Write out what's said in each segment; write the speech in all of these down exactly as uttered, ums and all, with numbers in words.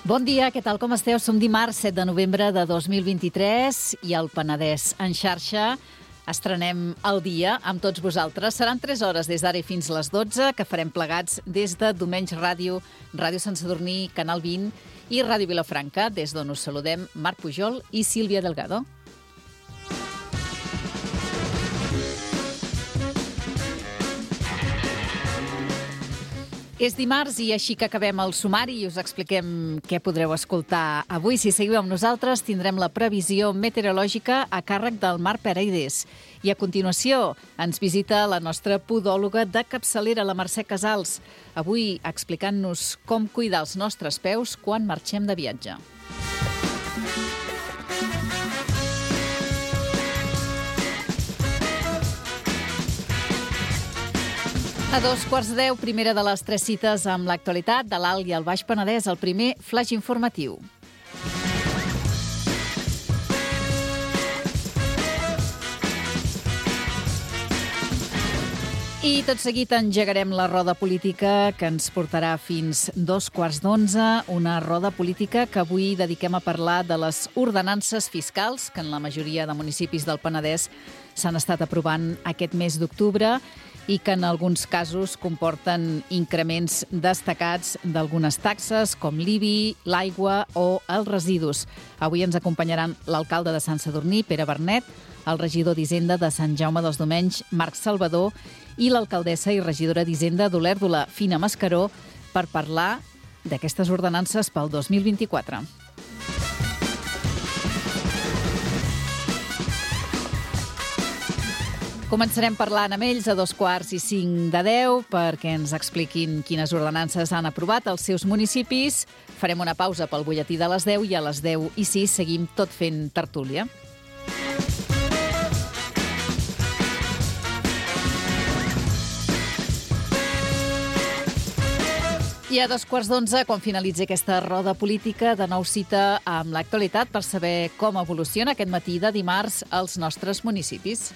Bon dia, què tal, com esteu? Som dimarts set de novembre de dos mil vint-i-tres i al Penedès en xarxa estrenem el dia amb tots vosaltres. Seran tres hores des d'ara i fins les dotze que farem plegats des de Domenys Ràdio, Ràdio Sant Sadurní, Canal vint i Ràdio Vilafranca, des d'on us saludem Marc Pujol i Sílvia Delgado. És dimarts i així que acabem el sumari i us expliquem què podreu escoltar avui. Si seguiu amb nosaltres, tindrem la previsió meteorològica a càrrec del Marc Paredes. I a continuació ens visita la nostra podòloga de capçalera, la Mercè Casals, avui explicant-nos com cuidar els nostres peus quan marxem de viatge. A dos quarts de deu, primera de les tres cites amb l'actualitat de l'Alt i el Baix Penedès, el primer flaix informatiu. I tot seguit engegarem la roda política que ens portarà fins dos quarts d'onze, una roda política que avui dediquem a parlar de les ordenances fiscals que en la majoria de municipis del Penedès s'han estat aprovant aquest mes d'octubre i que en alguns casos comporten increments destacats d'algunes taxes, com l'I B I, l'aigua o els residus. Avui ens acompanyaran l'alcalde de Sant Sadurní, Pere Bernet, el regidor d'Hisenda de Sant Jaume dels Domenys, Marc Salvador, i l'alcaldessa i regidora d'Hisenda d'Olèrdola, Fina Mascaró, per parlar d'aquestes ordenances pel dos mil vint-i-quatre. Començarem parlant amb ells a dos quarts i cinc de deu perquè ens expliquin quines ordenances han aprovat als seus municipis. Farem una pausa pel butlletí de les deu i a les deu i sis seguim tot fent tertúlia. I a dos quarts d'onze, quan finalitzi aquesta roda política, de nou cita amb l'actualitat per saber com evoluciona aquest matí de dimarts als nostres municipis.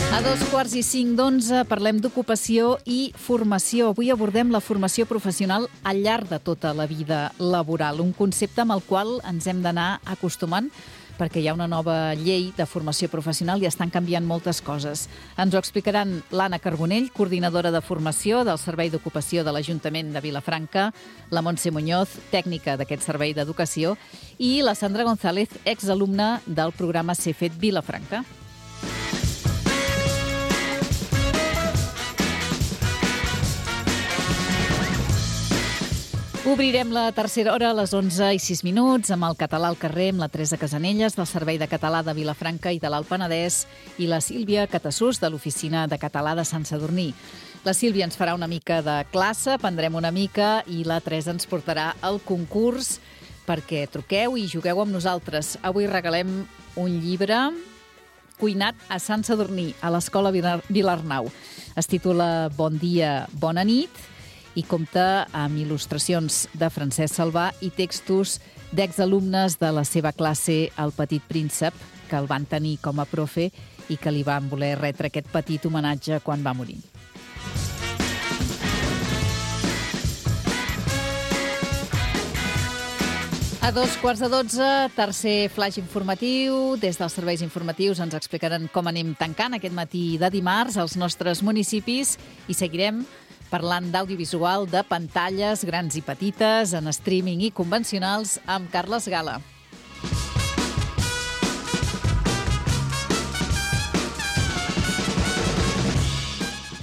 A dos quarts i cinc d'onze parlem d'ocupació i formació. Avui abordem la formació professional al llarg de tota la vida laboral, un concepte amb el qual ens hem d'anar acostumant perquè hi ha una nova llei de formació professional i estan canviant moltes coses. Ens ho explicaran l'Anna Carbonell, coordinadora de formació del Servei d'Ocupació de l'Ajuntament de Vilafranca, la Montse Muñoz, tècnica d'aquest servei d'educació, i la Sandra González, exalumna del programa CEFET Vilafranca. Obrirem la tercera hora a les onze i sis minuts amb el Català al carrer amb la Teresa Casanelles del Servei de Català de Vilafranca i de l'Alt Penedès i la Sílvia Catassús de l'Oficina de Català de Sant Sadurní. La Sílvia ens farà una mica de classe, aprendrem una mica i la Teresa ens portarà al concurs perquè truqueu i jugueu amb nosaltres. Avui regalem un llibre cuinat a Sant Sadurní, a l'Escola Vilarnau. Es titula Bon dia, bona nit i compta amb il·lustracions de Francesc Salvà i textos d'exalumnes de la seva classe El Petit Príncep, que el van tenir com a profe i que li van voler retre aquest petit homenatge quan va morir. A dos quarts de dotze, tercer flaix informatiu. Des dels serveis informatius ens explicaran com anem tancant aquest matí de dimarts als nostres municipis i seguirem parlant d'audiovisual, de pantalles grans i petites, en streaming i convencionals, amb Carles Gala.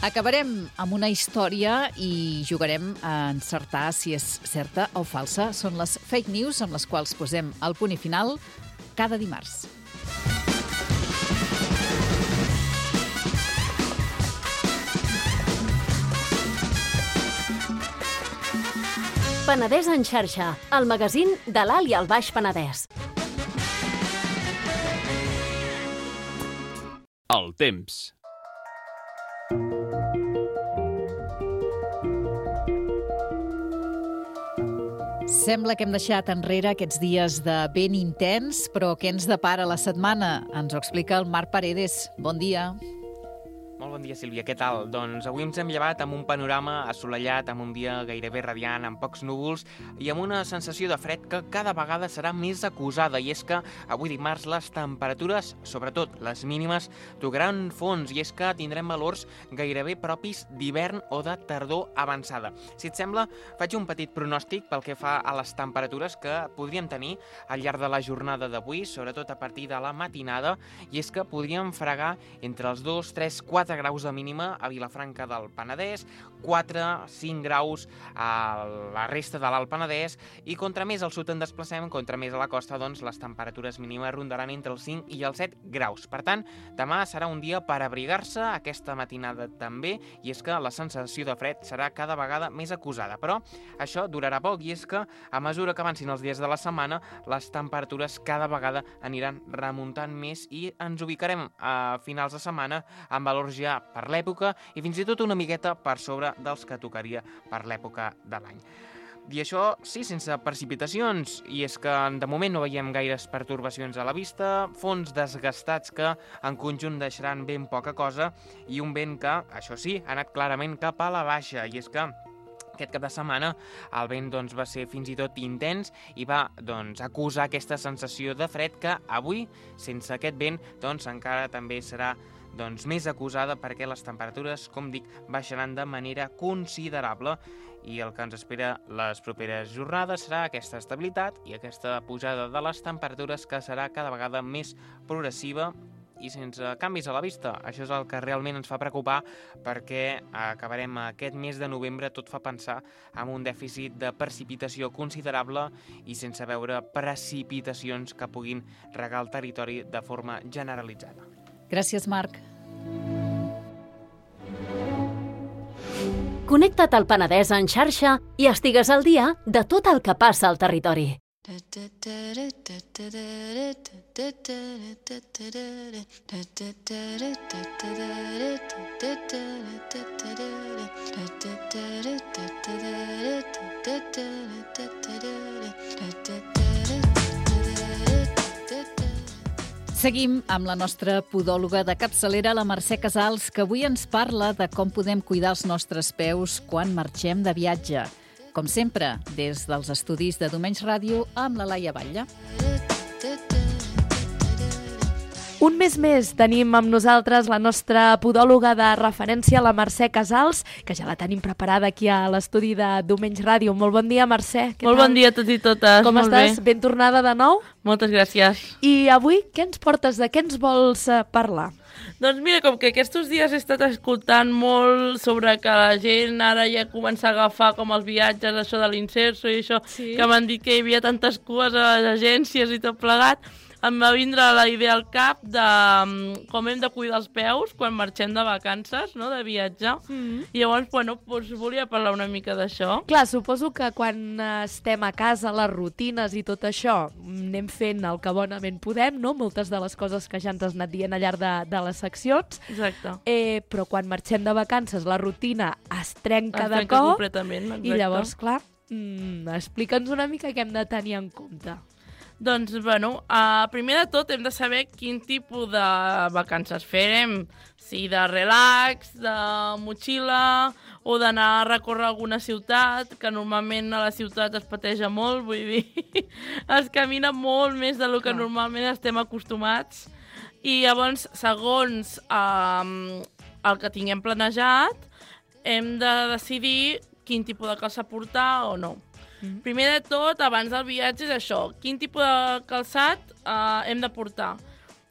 Acabarem amb una història i jugarem a encertar si és certa o falsa. Són les fake news amb les quals posem el punt i final cada dimarts. Penedès en xarxa, el magazín de l'Alt i el Baix Penedès. El temps. Sembla que hem deixat enrere aquests dies de vent intens, però què ens depara la setmana? Ens ho explica el Marc Paredes. Bon dia. Molt bon dia, Sílvia. Què tal? Doncs avui ens hem llevat amb un panorama assolellat, amb un dia gairebé radiant, amb pocs núvols i amb una sensació de fred que cada vegada serà més acusada. I és que avui dimarts les temperatures, sobretot les mínimes, tocaran fons i és que tindrem valors gairebé propis d'hivern o de tardor avançada. Si et sembla, faig un petit pronòstic pel que fa a les temperatures que podríem tenir al llarg de la jornada d'avui, sobretot a partir de la matinada, i és que podríem fregar entre els dos, tres, quatre graus de mínima a Vilafranca del Penedès, quatre, cinc graus a la resta de l'Alt Penedès i contra més al sud en desplacem, contra més a la costa, doncs les temperatures mínimes rondaran entre els cinc i els set graus. Per tant, demà serà un dia per abrigar-se, aquesta matinada també, i és que la sensació de fred serà cada vegada més acusada. Però això durarà poc i és que a mesura que avancin els dies de la setmana, les temperatures cada vegada aniran remuntant més i ens ubicarem a finals de setmana amb valors ja per l'època i fins i tot una miqueta per sobre dels que tocaria per l'època de l'any. I això, sí, sense precipitacions, i és que de moment no veiem gaires pertorbacions a la vista, fons desgastats que en conjunt deixaran ben poca cosa i un vent que, això sí, ha anat clarament cap a la baixa, i és que aquest cap de setmana el vent doncs, va ser fins i tot intens i va doncs, acusar aquesta sensació de fred que avui, sense aquest vent, doncs, encara també serà doncs, més acusada perquè les temperatures, com dic, baixaran de manera considerable i el que ens espera les properes jornades serà aquesta estabilitat i aquesta pujada de les temperatures que serà cada vegada més progressiva i sense canvis a la vista. Això és el que realment ens fa preocupar perquè acabarem aquest mes de novembre, tot fa pensar en un dèficit de precipitació considerable i sense veure precipitacions que puguin regar el territori de forma generalitzada. Gràcies, Marc. Connecta't al Penedès en xarxa i estigues al dia de tot el que passa al territori. Seguim amb la nostra podòloga de capçalera, la Mercè Casals, que avui ens parla de com podem cuidar els nostres peus quan marxem de viatge. Com sempre, des dels estudis de Domenys Ràdio amb la Laia Batlle. Un mes més tenim amb nosaltres la nostra podòloga de referència, la Mercè Casals, que ja la tenim preparada aquí a l'estudi de Domenys Ràdio. Molt bon dia, Mercè. Què Molt tal? Bon dia a tots i totes. Com Molt estàs? Bé. Ben tornada de nou? Moltes gràcies. I avui què ens portes? De què ens vols parlar? Doncs mira, com que aquests dies he estat escoltant molt sobre que la gent ara ja comença a agafar com els viatges, això de l'Inserso i això, sí. Que m'han dit que hi havia tantes cues a les agències i tot plegat, em va vindre la idea al cap de com hem de cuidar els peus quan marxem de vacances, no?, de viatge. Mm. I llavors, bueno, doncs volia parlar una mica d'això. Clar, suposo que quan estem a casa, les rutines i tot això, anem fent el que bonament podem, no?, moltes de les coses que ja ens has anat dient al llarg de, de les seccions. Exacte. Eh, però quan marxem de vacances, la rutina es trenca, es de trenca cop. completament, exacte. I llavors, clar, mm, explica'ns una mica què hem de tenir en compte. Doncs, bueno, uh, primer de tot hem de saber quin tipus de vacances farem. Si de relax, de motxilla o d'anar a recórrer alguna ciutat, que normalment a la ciutat es pateja molt, vull dir, es camina molt més del que normalment estem acostumats. I llavors, segons uh, el que tinguem planejat, hem de decidir quin tipus de calça portar o no. Mm-hmm. Primer de tot, abans del viatge és això, quin tipus de calçat uh, hem de portar.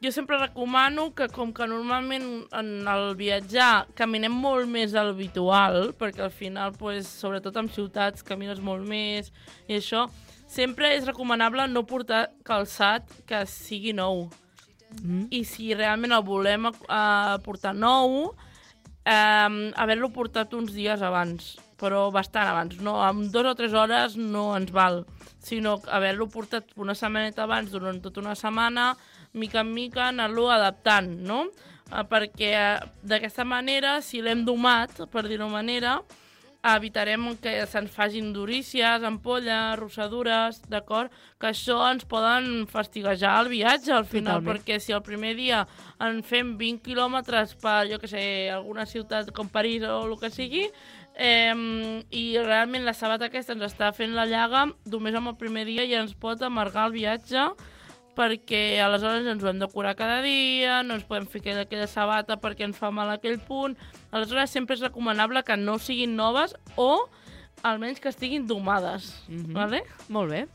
Jo sempre recomano que, com que normalment en el viatjar caminem molt més del habitual, perquè al final, pues, sobretot en ciutats, camines molt més i això, sempre és recomanable no portar calçat que sigui nou. Mm-hmm. I si realment el volem uh, portar nou, um, haver-lo portat uns dies abans, però bastant abans, no, en dues o tres hores no ens val, sinó haver-lo portat una setmaneta abans, durant tota una setmana, mica en mica, anar-lo adaptant, no? Eh, perquè eh, d'aquesta manera, si l'hem domat, per dir-ho manera, evitarem que se'ns facin durícies, ampolles, rossadures, d'acord? Que això ens poden fastiguejar el viatge al final, Totalment. perquè si el primer dia en fem vint quilòmetres per, jo què sé, alguna ciutat com París o el que sigui, eh, i realment la sabata aquesta ens està fent la llaga, només amb el primer dia ja ens pot amargar el viatge, perquè aleshores ens ho hem de curar cada dia, no ens podem fer aquella, aquella sabata perquè ens fa mal aquell punt. Aleshores sempre és recomanable que no siguin noves o almenys que estiguin domades. Mhm. Vale? Molt bé.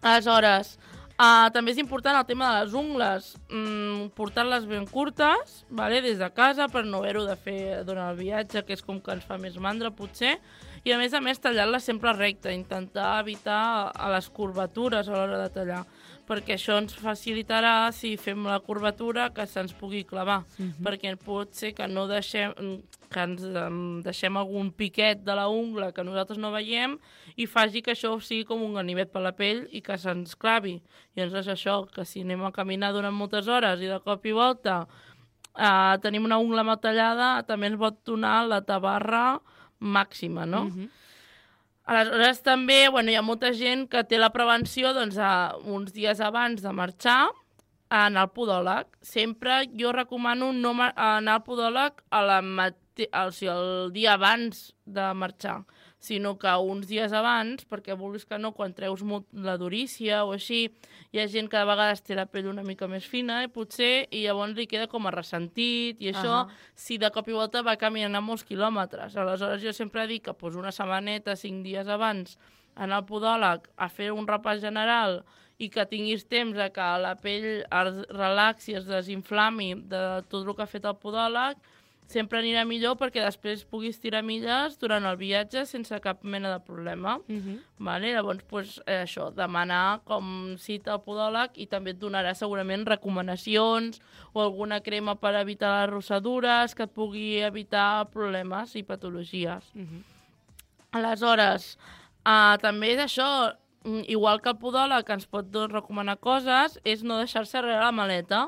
Aleshores, uh, també és important el tema de les ungles, mm, portar-les ben curtes, vale? Des de casa, per no haver-ho de fer durant el viatge, que és com que ens fa més mandra potser, i a més a més tallar-les sempre recte, intentar evitar a les curvatures a l'hora de tallar, perquè això ens facilitarà, si fem la curvatura, que se'ns pugui clavar, Mhm. perquè pot ser que no deixem, que ens um, deixem algun piquet de la ungla que nosaltres no veiem i faci que això sigui com un ganivet per la pell i que se'ns clavi. I llavors és això, que si anem a caminar durant moltes hores i de cop i volta uh, tenim una ungla mal tallada, també ens pot donar la tabarra màxima, no? Mhm. Aleshores també, bueno, hi ha molta gent que té la prevenció doncs, a, uns dies abans de marxar a anar al podòleg. Sempre jo recomano no ma- anar al podòleg a la mate- o sigui, el dia abans de marxar, sinó que uns dies abans, perquè vulguis que no, quan treus molt la durícia o així, hi ha gent que de vegades té la pell una mica més fina i potser, i llavors li queda com a ressentit, i això, Ahà. si de cop i volta va caminant molts quilòmetres. Aleshores jo sempre dic que pues, una setmaneta, cinc dies abans, anar al podòleg a fer un repàs general i que tinguis temps a que la pell es relaxi, es desinflami de tot el que ha fet el podòleg, sempre anirà millor perquè després puguis tirar milles durant el viatge sense cap mena de problema. Mhm. Vale? Llavors, pues, eh, això, demanar com cita al podòleg i també et donarà segurament recomanacions o alguna crema per evitar les rossadures que et pugui evitar problemes i patologies. Mhm. Aleshores, uh, també és això, mm, igual que el podòleg que ens pot doncs, recomanar coses, és no deixar-se darrere la maleta.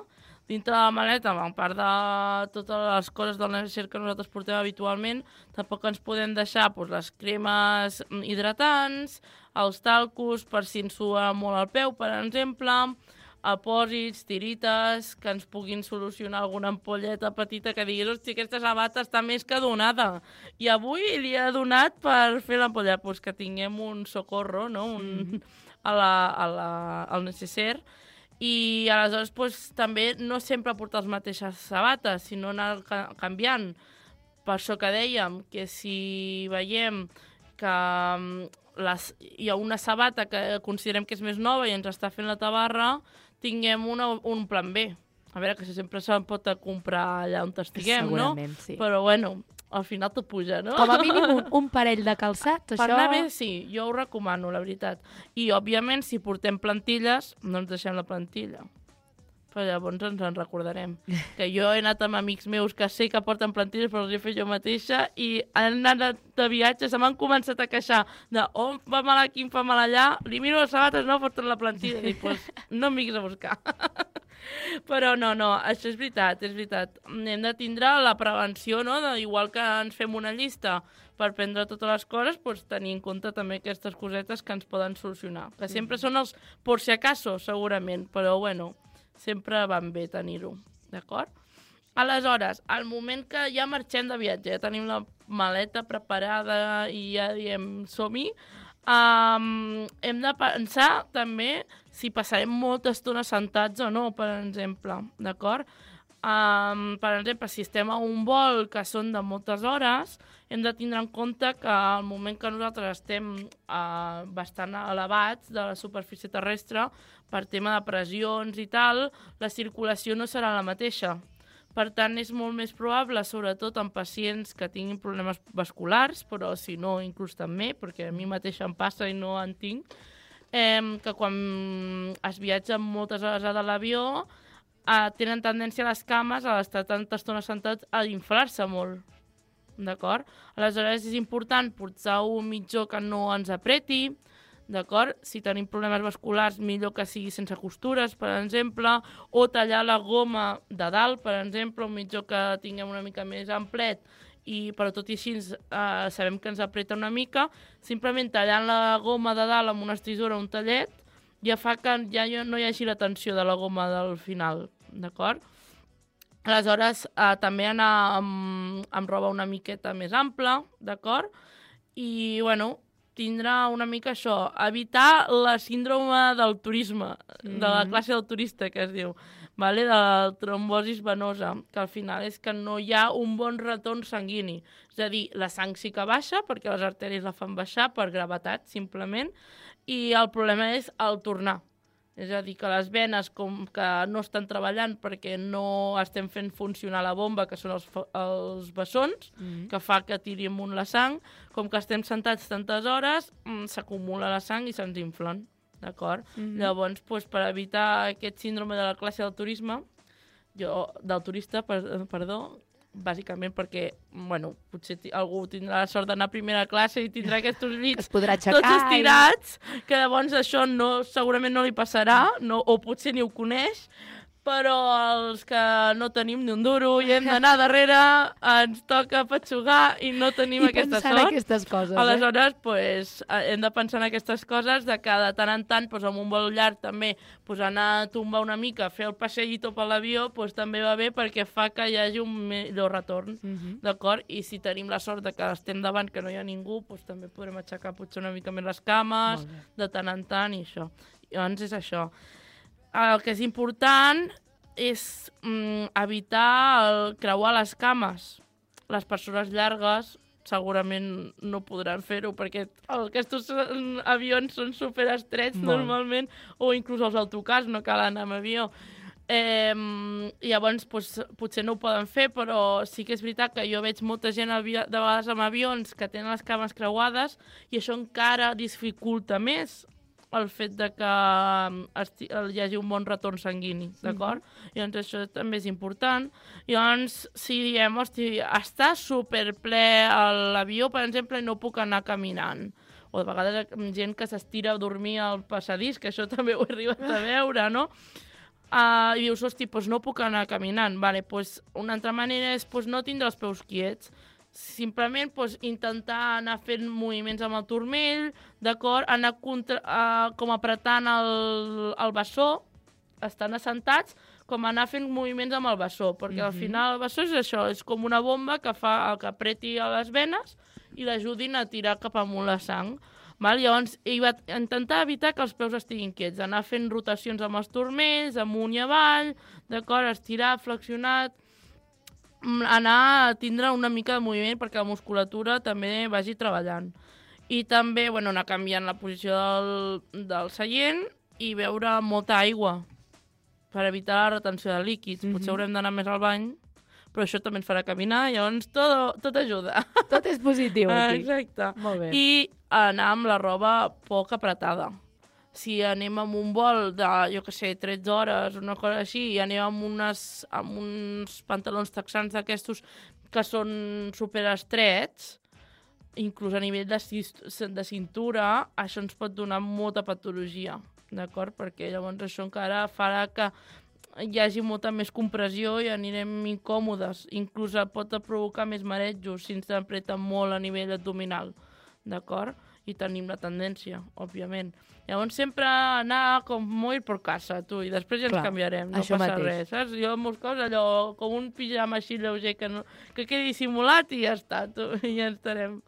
Dintre de la maleta, a part de totes les coses del necessari que nosaltres portem habitualment, tampoc ens podem deixar doncs, les cremes hidratants, els talcos per si ens sua molt el peu, per exemple, apòsits, tirites, que ens puguin solucionar alguna ampolleta petita que diguis, hosti, aquesta sabata està més que donada. I avui li he donat per fer l'ampolla, doncs que tinguem un socorro, no? Un, mm. a la, a la, al necessaire. I aleshores doncs, també no sempre portar les mateixes sabates, sinó anar ca canviant. Per això que dèiem que si veiem que les, hi ha una sabata que considerem que és més nova i ens està fent la tabarra, tinguem una, un plan B. A veure, que sempre se'n pot comprar allà on estiguem, no? Segurament, sí. Però bueno, al final tot puja, no? Com a mínim un, un parell de calçats, Per això... anar bé, sí, jo ho recomano, la veritat. I, òbviament, si portem plantilles, no ens deixem la plantilla. Però llavors ens en recordarem. Que jo he anat amb amics meus que sé que porten plantilles, però els he fet jo mateixa, i han anat de viatge, se m'han començat a queixar de oh, em fa mal aquí, em fa mal allà, li miro les sabates, no, porten la plantilla. I dic, pues, no em vinguis a buscar. Però no, no, això és veritat, és veritat. Hem de tindre la prevenció, no? De, igual que ens fem una llista per prendre totes les coses, doncs tenir en compte també aquestes cosetes que ens poden solucionar. Que sempre són els por si acaso, segurament, però bueno, sempre van bé tenir-ho, d'acord? Aleshores, al moment que ja marxem de viatge, ja tenim la maleta preparada i ja diem som-hi, Um, hem de pensar també si passarem molta estona sentats o no, per exemple, d'acord? Um, per exemple, si estem a un vol que són de moltes hores, hem de tindre en compte que al moment que nosaltres estem uh, bastant elevats de la superfície terrestre, per tema de pressions i tal, la circulació no serà la mateixa. Per tant, és molt més probable, sobretot en pacients que tinguin problemes vasculars, però si no, inclús també, perquè a mi mateixa em passa i no en tinc, eh, que quan es viatja moltes hores a l'avió eh, tenen tendència a les cames, a l'estar tanta estona sentats, a inflar-se molt. D'acord? Aleshores, és important portar un mitjó que no ens apreti, d'acord? Si tenim problemes vasculars, millor que sigui sense costures, per exemple, o tallar la goma de dalt, per exemple, un mitjó que tinguem una mica més amplet i, però tot i així eh, sabem que ens apreta una mica, simplement tallant la goma de dalt amb una estrisura o un tallet ja fa que ja no hi hagi la tensió de la goma del final, d'acord? Aleshores, eh, també anar amb, amb roba una miqueta més ampla, d'acord? I, bueno, tindrà una mica això, evitar la síndrome del turisme, mm-hmm. de la classe del turista, que es diu, vale? De la trombosis venosa, que al final és que no hi ha un bon retorn sanguini. És a dir, la sang sí que baixa, perquè les artèries la fan baixar per gravetat, simplement, i el problema és el tornar. És a dir, que les venes com que no estan treballant perquè no estem fent funcionar la bomba, que són els, els bessons, mm-hmm. que fa que tiri amunt la sang, com que estem sentats tantes hores, s'acumula la sang i se'ns inflen, d'acord? Mm-hmm. Llavors, doncs, per evitar aquest síndrome de la classe del turisme, jo, del turista, per, perdó, bàsicament perquè, bueno, potser algú tindrà la sort d'anar a primera classe i tindrà aquests llits tots estirats, i... que llavors això no, segurament no li passarà, no, o potser ni ho coneix, però els que no tenim ni un duro i hem d'anar darrere, ens toca petxugar i no tenim I aquesta pensar sort. en aquestes coses, eh? Aleshores, pues, hem de pensar en aquestes coses, de que de tant en tant, pues, amb un vol llarg també, pues, anar a tombar una mica, fer el passeïto per l'avió, pues, també va bé perquè fa que hi hagi un millor retorn, uh-huh. d'acord? I si tenim la sort de que estem davant, que no hi ha ningú, pues, també podrem aixecar potser una mica més les cames, de tant en tant, i això. Llavors és això. El que és important és mm, evitar el creuar les cames. Les persones llargues segurament no podran fer-ho perquè aquests avions són superestrets normalment, o inclús els autocars no cal anar amb avió. Eh, llavors pues, potser no ho poden fer, però sí que és veritat que jo veig molta gent de vegades amb avions que tenen les cames creuades i això encara dificulta més el fet de que hi hagi un bon retorn sanguini, d'acord? Mm-hmm. Llavors això també és important. Llavors, si diem, hosti, està superple l'avió, per exemple, i no puc anar caminant, o de vegades gent que s'estira a dormir al passadís, que això també ho he arribat a veure, no? Uh, I dius, hosti, doncs no puc anar caminant. Vale, doncs una altra manera és doncs, no tindre els peus quiets. Simplement doncs, intentar anar fent moviments amb el turmell, d'acord? Anar contra, uh, com apretant el, el bessó, estan assentats, com anar fent moviments amb el bessó, perquè mm-hmm. al final el bessó és això, és com una bomba que fa el que apreti a les venes i l'ajudin a tirar cap amunt la sang. Val? Llavors, ell va intentar evitar que els peus estiguin quiets, anar fent rotacions amb els turmells, amunt i avall, d'acord? Estirar, flexionat, anar a tindre una mica de moviment perquè la musculatura també vagi treballant. I també, bueno, anar canviant la posició del, del seient i beure molta aigua per evitar la retenció de líquids. Mm-hmm. Potser haurem d'anar més al bany, però això també ens farà caminar, llavors tot, tot ajuda. Tot és positiu aquí. Exacte. Molt bé. I anar amb la roba poc apretada. Si anem amb un vol de, jo què sé, tretze hores, una cosa així, i anem amb, unes, amb uns pantalons texans d'aquestos que són superestrets, inclús a nivell de, de cintura, això ens pot donar molta patologia, d'acord? Perquè llavors això encara farà que hi hagi molta més compressió i anirem incòmodes. Inclús pot provocar més marejos si ens apreta molt a nivell abdominal, d'acord? I tenim la tendència, òbviament. Llavors sempre anar com molt per casa, tu, i després ja ens Clar, canviarem, no passa mateix. res, saps? Jo en molts casos allò, com un pijama així lleuger que, no, que quedi dissimulat i ja està, tu, i ja estarem.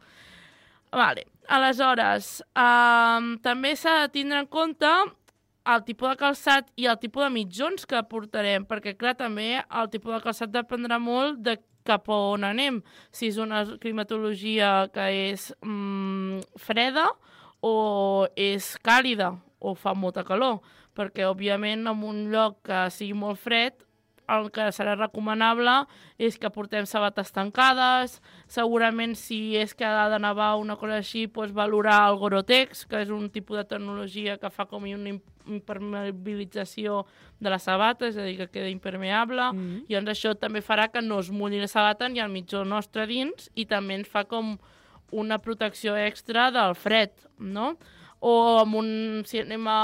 Vale, aleshores, um, també s'ha de tindre en compte el tipus de calçat i el tipus de mitjons que portarem, perquè, clar, també el tipus de calçat dependrà molt de cap a on anem. Si és una climatologia que és mm, freda o és càlida o fa molta calor, perquè, òbviament, en un lloc que sigui molt fred, el que serà recomanable és que portem sabates tancades, segurament si és que ha de nevar una cosa així, doncs valorar el Gore-Tex, que és un tipus de tecnologia que fa com una impermeabilització de la sabata, és a dir, que queda impermeable, mm-hmm. i doncs això també farà que no es mulli la sabata ni el mitjó nostre dins, i també ens fa com una protecció extra del fred, no? O amb un, si anem a...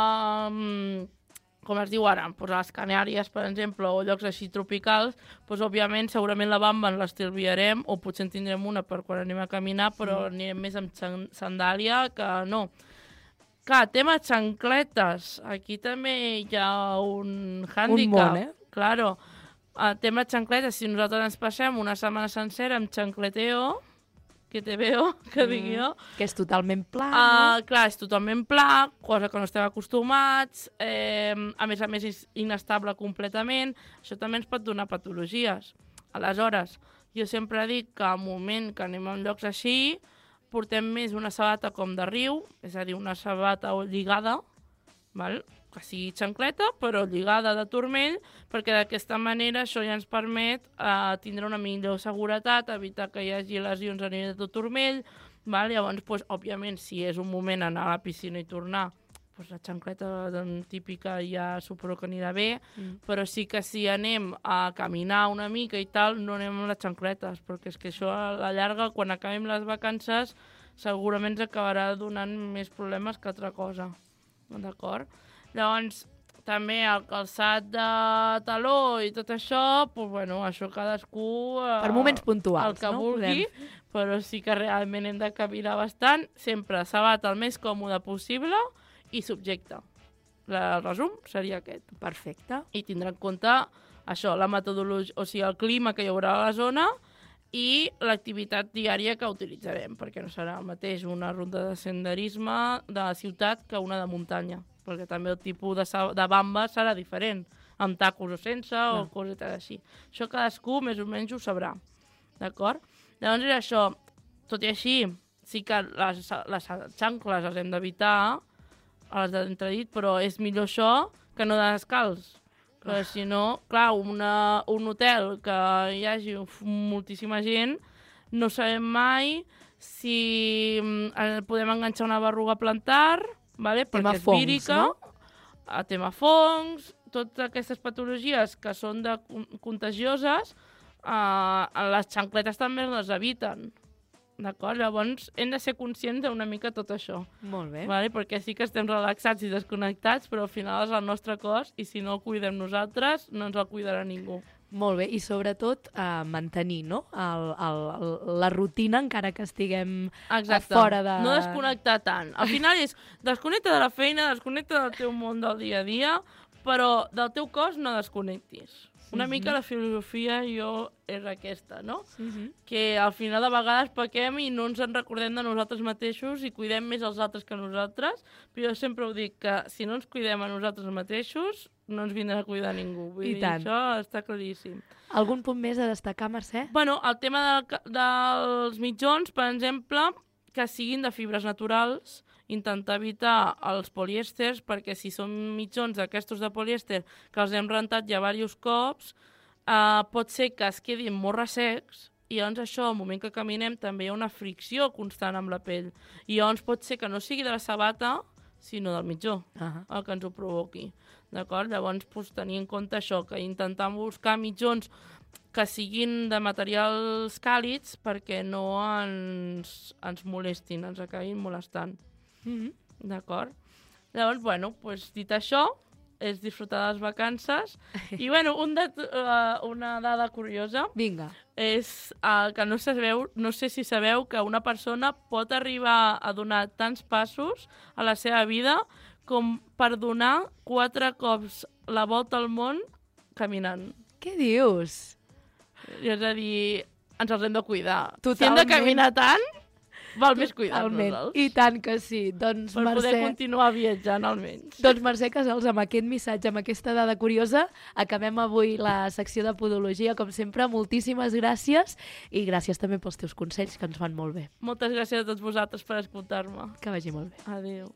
com es diu ara, doncs a les Canàries, per exemple, o llocs així tropicals, doncs, òbviament, segurament la bamba ens l'estalviarem, o potser en tindrem una per quan anem a caminar, però mm. anirem més amb sandàlia que no. Clar, tema xancletes. Aquí també hi ha un hàndicap. Un món, eh? Claro. El tema xancletes, si nosaltres ens passem una setmana sencera amb xancleteo, que te veo, que mm. dic jo. Que és totalment pla, uh, no? Clar, és totalment pla, cosa que no estem acostumats, eh, a més a més és inestable completament, això també ens pot donar patologies. Aleshores, jo sempre dic que al moment que anem a llocs així, portem més una sabata com de riu, és a dir, una sabata lligada, val? Que sigui xancleta, però lligada de turmell, perquè d'aquesta manera això ja ens permet eh, tindre una millor seguretat, evitar que hi hagi lesions a nivell de tot turmell. Val? Llavors, pues, òbviament, si és un moment anar a la piscina i tornar, pues, la xancleta doncs, típica ja suposo que anirà bé, mm. però sí que si anem a caminar una mica i tal, no anem amb les xancletes, perquè és que això a la llarga, quan acabem les vacances, segurament ens acabarà donant més problemes que altra cosa. D'acord? Llavors, també el calçat de taló i tot això, pues, bueno, això cadascú... Eh, per moments puntuals, el que no? vulgui, podem... però sí que realment hem de caminar bastant, sempre sabata el més còmode possible i subjecte. El resum seria aquest. Perfecte. I tindrà en compte això, la metodologia, o sigui, el clima que hi haurà a la zona i l'activitat diària que utilitzarem, perquè no serà el mateix una ruta de senderisme de la ciutat que una de muntanya, perquè també el tipus de, de bamba serà diferent, amb tacos o sense, no. o cosetes així. Això cadascú més o menys ho sabrà, d'acord? Llavors és això, tot i així, sí que les, les xancles les hem d'evitar, les d'entredit, però és millor això que no de descalç. Perquè si no, clar, una, un hotel que hi hagi moltíssima gent, no sabem mai si eh, podem enganxar una berruga plantar, vale? Perquè és fongs, vírica, no? A tema fongs, totes aquestes patologies que són de, contagioses, eh, les xancletes també les eviten. D'acord? Llavors hem de ser conscients d'una mica tot això. Molt bé. Vale? Perquè sí que estem relaxats i desconnectats, però al final és el nostre cos i si no el cuidem nosaltres, no ens el cuidarà ningú. Molt bé, i sobretot eh, mantenir, no? El, el, el, la rutina encara que estiguem Exacte. fora de... No desconnectar tant. Al final és desconnecta de la feina, desconnecta del teu món del dia a dia, però del teu cos no desconnectis. Una uh-huh. mica la filosofia jo és aquesta, no? Uh-huh. Que al final de vegades pequem i no ens en recordem de nosaltres mateixos i cuidem més els altres que nosaltres, però jo sempre ho dic que si no ens cuidem a nosaltres mateixos no ens vindrà a cuidar ningú. Vull I dir, tant. això està claríssim. Algun punt més a destacar, Mercè? Bueno, el tema de, dels mitjons, per exemple, que siguin de fibres naturals, intentar evitar els polièsters, perquè si són mitjons d'aquestos de polièster que els hem rentat ja diversos cops, eh, pot ser que es quedin molt ressecs i llavors això, al moment que caminem, també hi ha una fricció constant amb la pell. I llavors pot ser que no sigui de la sabata, sinó del mitjó, uh-huh. el que ens ho provoqui. D'acord? Llavors, pues, tenir en compte això, que intentar buscar mitjons que siguin de materials càlids perquè no ens, ens molestin, ens acabin molestant. Mm-hmm. D'acord? Llavors, bueno, pues, dit això, és disfrutar de les vacances. I, bueno, un dat uh, una dada curiosa Vinga. és uh, que no sabeu, no sé si sabeu que una persona pot arribar a donar tants passos a la seva vida com per donar quatre cops la volta al món caminant. Què dius? És a dir, ens els hem de cuidar. Totalment. Si hem de caminar tant, val més cuidar-nos-els. I tant que sí. Doncs, per Mercè... poder continuar viatjant, almenys. Doncs, Mercè Casals, amb aquest missatge, amb aquesta dada curiosa, acabem avui la secció de podologia, com sempre. Moltíssimes gràcies i gràcies també pels teus consells, que ens fan molt bé. Moltes gràcies a tots vosaltres per escoltar-me. Que vagi molt bé. Adéu.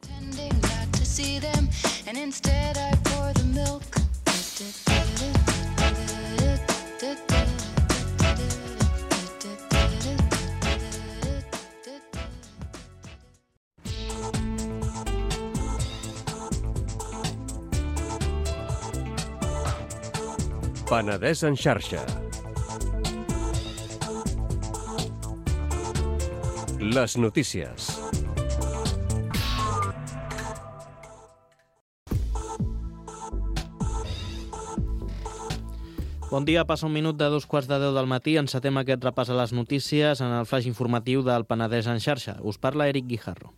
Penedès en xarxa. Les notícies. Bon dia, passa un minut de dos quarts de deu del matí. Encetem aquest repàs a les notícies en el flaix informatiu del Penedès en xarxa. Us parla Eric Guijarro.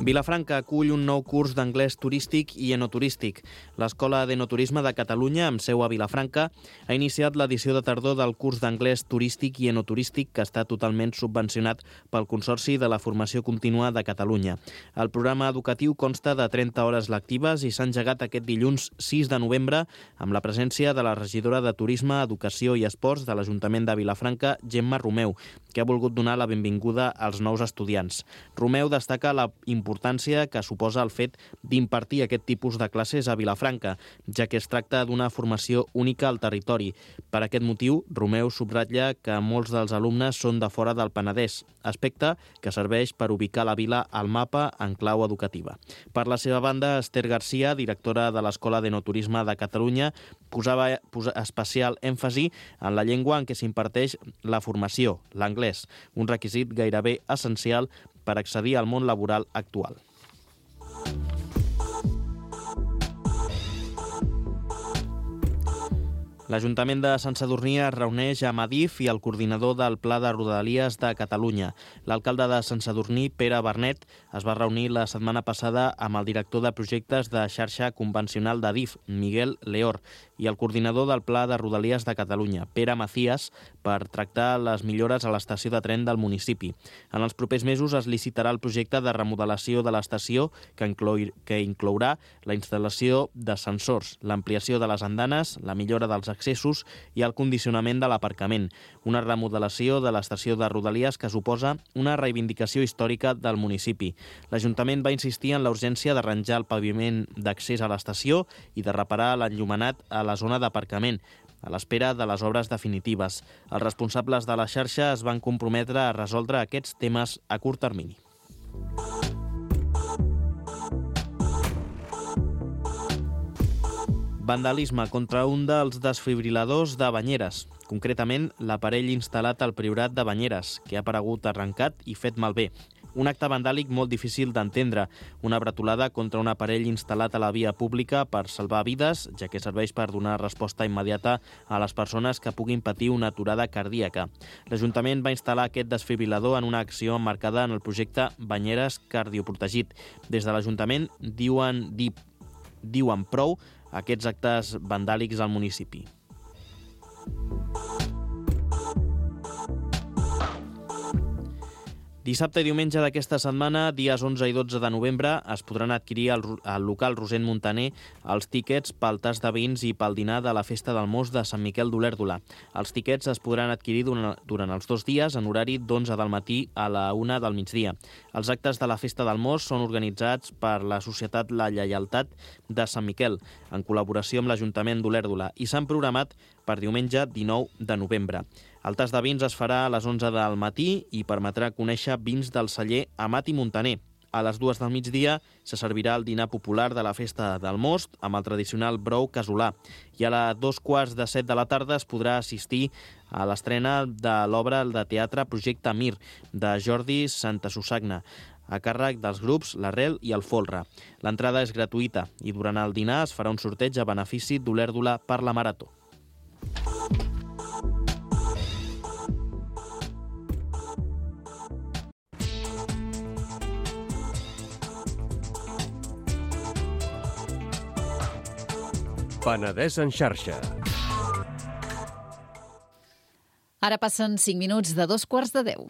Vilafranca acull un nou curs d'anglès turístic i enoturístic. L'Escola d'Enoturisme de Catalunya, amb seu a Vilafranca, ha iniciat l'edició de tardor del curs d'anglès turístic i enoturístic que està totalment subvencionat pel Consorci de la Formació Contínua de Catalunya. El programa educatiu consta de trenta hores lectives i s'ha engegat aquest dilluns sis de novembre amb la presència de la regidora de Turisme, Educació i Esports de l'Ajuntament de Vilafranca, Gemma Romeu, que ha volgut donar la benvinguda als nous estudiants. Romeu destaca la importància que suposa el fet d'impartir aquest tipus de classes a Vilafranca, ja que es tracta d'una formació única al territori. Per aquest motiu, Romeu subratlla que molts dels alumnes són de fora del Penedès, aspecte que serveix per ubicar la vila al mapa en clau educativa. Per la seva banda, Esther Garcia, directora de l'Escola d'Enoturisme de Catalunya, posava especial èmfasi en la llengua en què s'imparteix la formació, l'anglès, un requisit gairebé essencial per accedir al món laboral actual. L'Ajuntament de Sant Sadurní es reuneix amb Adif i el coordinador del Pla de Rodalies de Catalunya. L'alcalde de Sant Sadurní, Pere Bernet, es va reunir la setmana passada amb el director de projectes de xarxa convencional d'Adif, Miguel Leor, i el coordinador del Pla de Rodalies de Catalunya, Pere Macías, per tractar les millores a l'estació de tren del municipi. En els propers mesos es licitarà el projecte de remodelació de l'estació que, inclou, que inclourà la instal·lació de sensors, l'ampliació de les andanes, la millora dels accessos i el condicionament de l'aparcament. Una remodelació de l'estació de Rodalies que suposa una reivindicació històrica del municipi. L'Ajuntament va insistir en la urgència d'arranjar el paviment d'accés a l'estació i de reparar l'enllumenat a la zona d'aparcament, a l'espera de les obres definitives. Els responsables de la xarxa es van comprometre a resoldre aquests temes a curt termini. Vandalisme contra un dels desfibriladors de Banyeres, concretament l'aparell instal·lat al Priorat de Banyeres, que ha aparegut arrencat i fet malbé. Un acte vandàlic molt difícil d'entendre, una bretolada contra un aparell instal·lat a la via pública per salvar vides, ja que serveix per donar resposta immediata a les persones que puguin patir una aturada cardíaca. L'Ajuntament va instal·lar aquest desfibrilador en una acció emmarcada en el projecte Banyeres Cardioprotegit. Des de l'Ajuntament diuen, di, diuen prou aquests actes vandàlics al municipi. Dissabte i diumenge d'aquesta setmana, dies onze i dotze de novembre, es podran adquirir al, al local Rosent Montaner els tíquets pel tas de vins i pel dinar de la Festa del Most de Sant Miquel d'Olèrdola. Els tíquets es podran adquirir durant, durant els dos dies en horari d'onze del matí a la una del migdia. Els actes de la Festa del Most són organitzats per la Societat La Lleialtat de Sant Miquel, en col·laboració amb l'Ajuntament d'Olèrdola, i s'han programat per diumenge dinou de novembre. El tas de vins es farà a les onze del matí i permetrà conèixer vins del celler Amat i Montaner. A les dues del migdia se servirà el dinar popular de la Festa del Most amb el tradicional brou casolà. I a les dos quarts de set de la tarda es podrà assistir a l'estrena de l'obra de teatre Projecte Mir, de Jordi Santasusagna, a càrrec dels grups L'Arrel i el Folre. L'entrada és gratuïta i durant el dinar es farà un sorteig a benefici d'Olèrdola per la Marató. Penedès en xarxa. Ara passen cinc minuts de dos quarts de deu.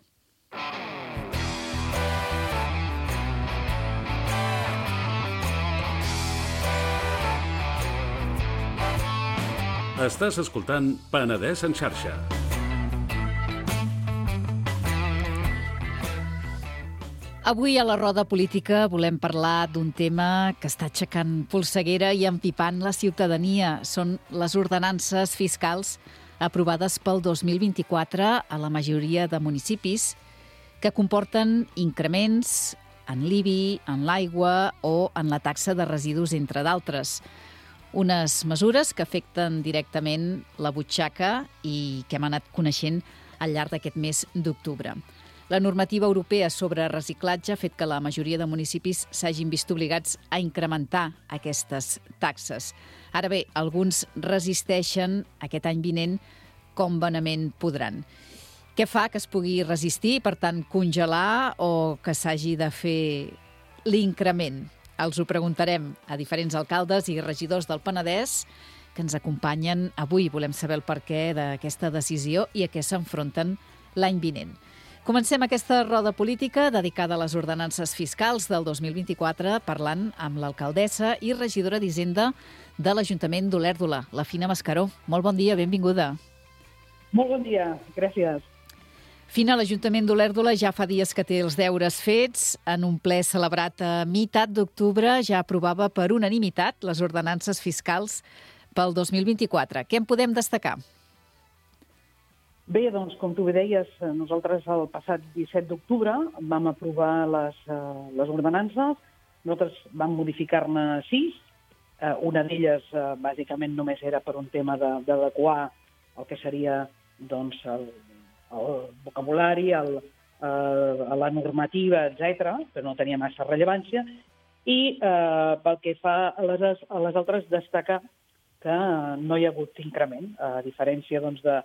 Estàs escoltant Penedès en xarxa. Avui a la roda política volem parlar d'un tema que està aixecant polseguera i empipant la ciutadania. Són les ordenances fiscals aprovades pel dos mil vint-i-quatre a la majoria de municipis que comporten increments en l'I B I, en l'aigua o en la taxa de residus, entre d'altres. Unes mesures que afecten directament la butxaca i que hem anat coneixent al llarg d'aquest mes d'octubre. La normativa europea sobre reciclatge ha fet que la majoria de municipis s'hagin vist obligats a incrementar aquestes taxes. Ara bé, alguns resisteixen aquest any vinent com bonament podran. Què fa que es pugui resistir, per tant, congelar o que s'hagi de fer l'increment? Els ho preguntarem a diferents alcaldes i regidors del Penedès que ens acompanyen avui. Volem saber el perquè d'aquesta decisió i a què s'enfronten l'any vinent. Comencem aquesta roda política dedicada a les ordenances fiscals del dos mil vint-i-quatre parlant amb l'alcaldessa i regidora d'Hisenda de l'Ajuntament d'Olèrdola, la Fina Mascaró. Molt bon dia, benvinguda. Molt bon dia, gràcies. Fina, l'Ajuntament d'Olèrdola ja fa dies que té els deures fets. En un ple celebrat a meitat d'octubre ja aprovava per unanimitat les ordenances fiscals pel dos mil vint-i-quatre. Què en podem destacar? Bé, doncs, com tu bé deies, nosaltres el passat disset d'octubre vam aprovar les, uh, les ordenances. Nosaltres vam modificar-ne sis. Uh, una d'elles, uh, bàsicament, només era per un tema d'adequar el que seria doncs, el, el vocabulari, el, uh, la normativa, etcètera, però no tenia massa rellevància. I uh, pel que fa a les, a les altres, destacar que no hi ha hagut increment, a diferència doncs, de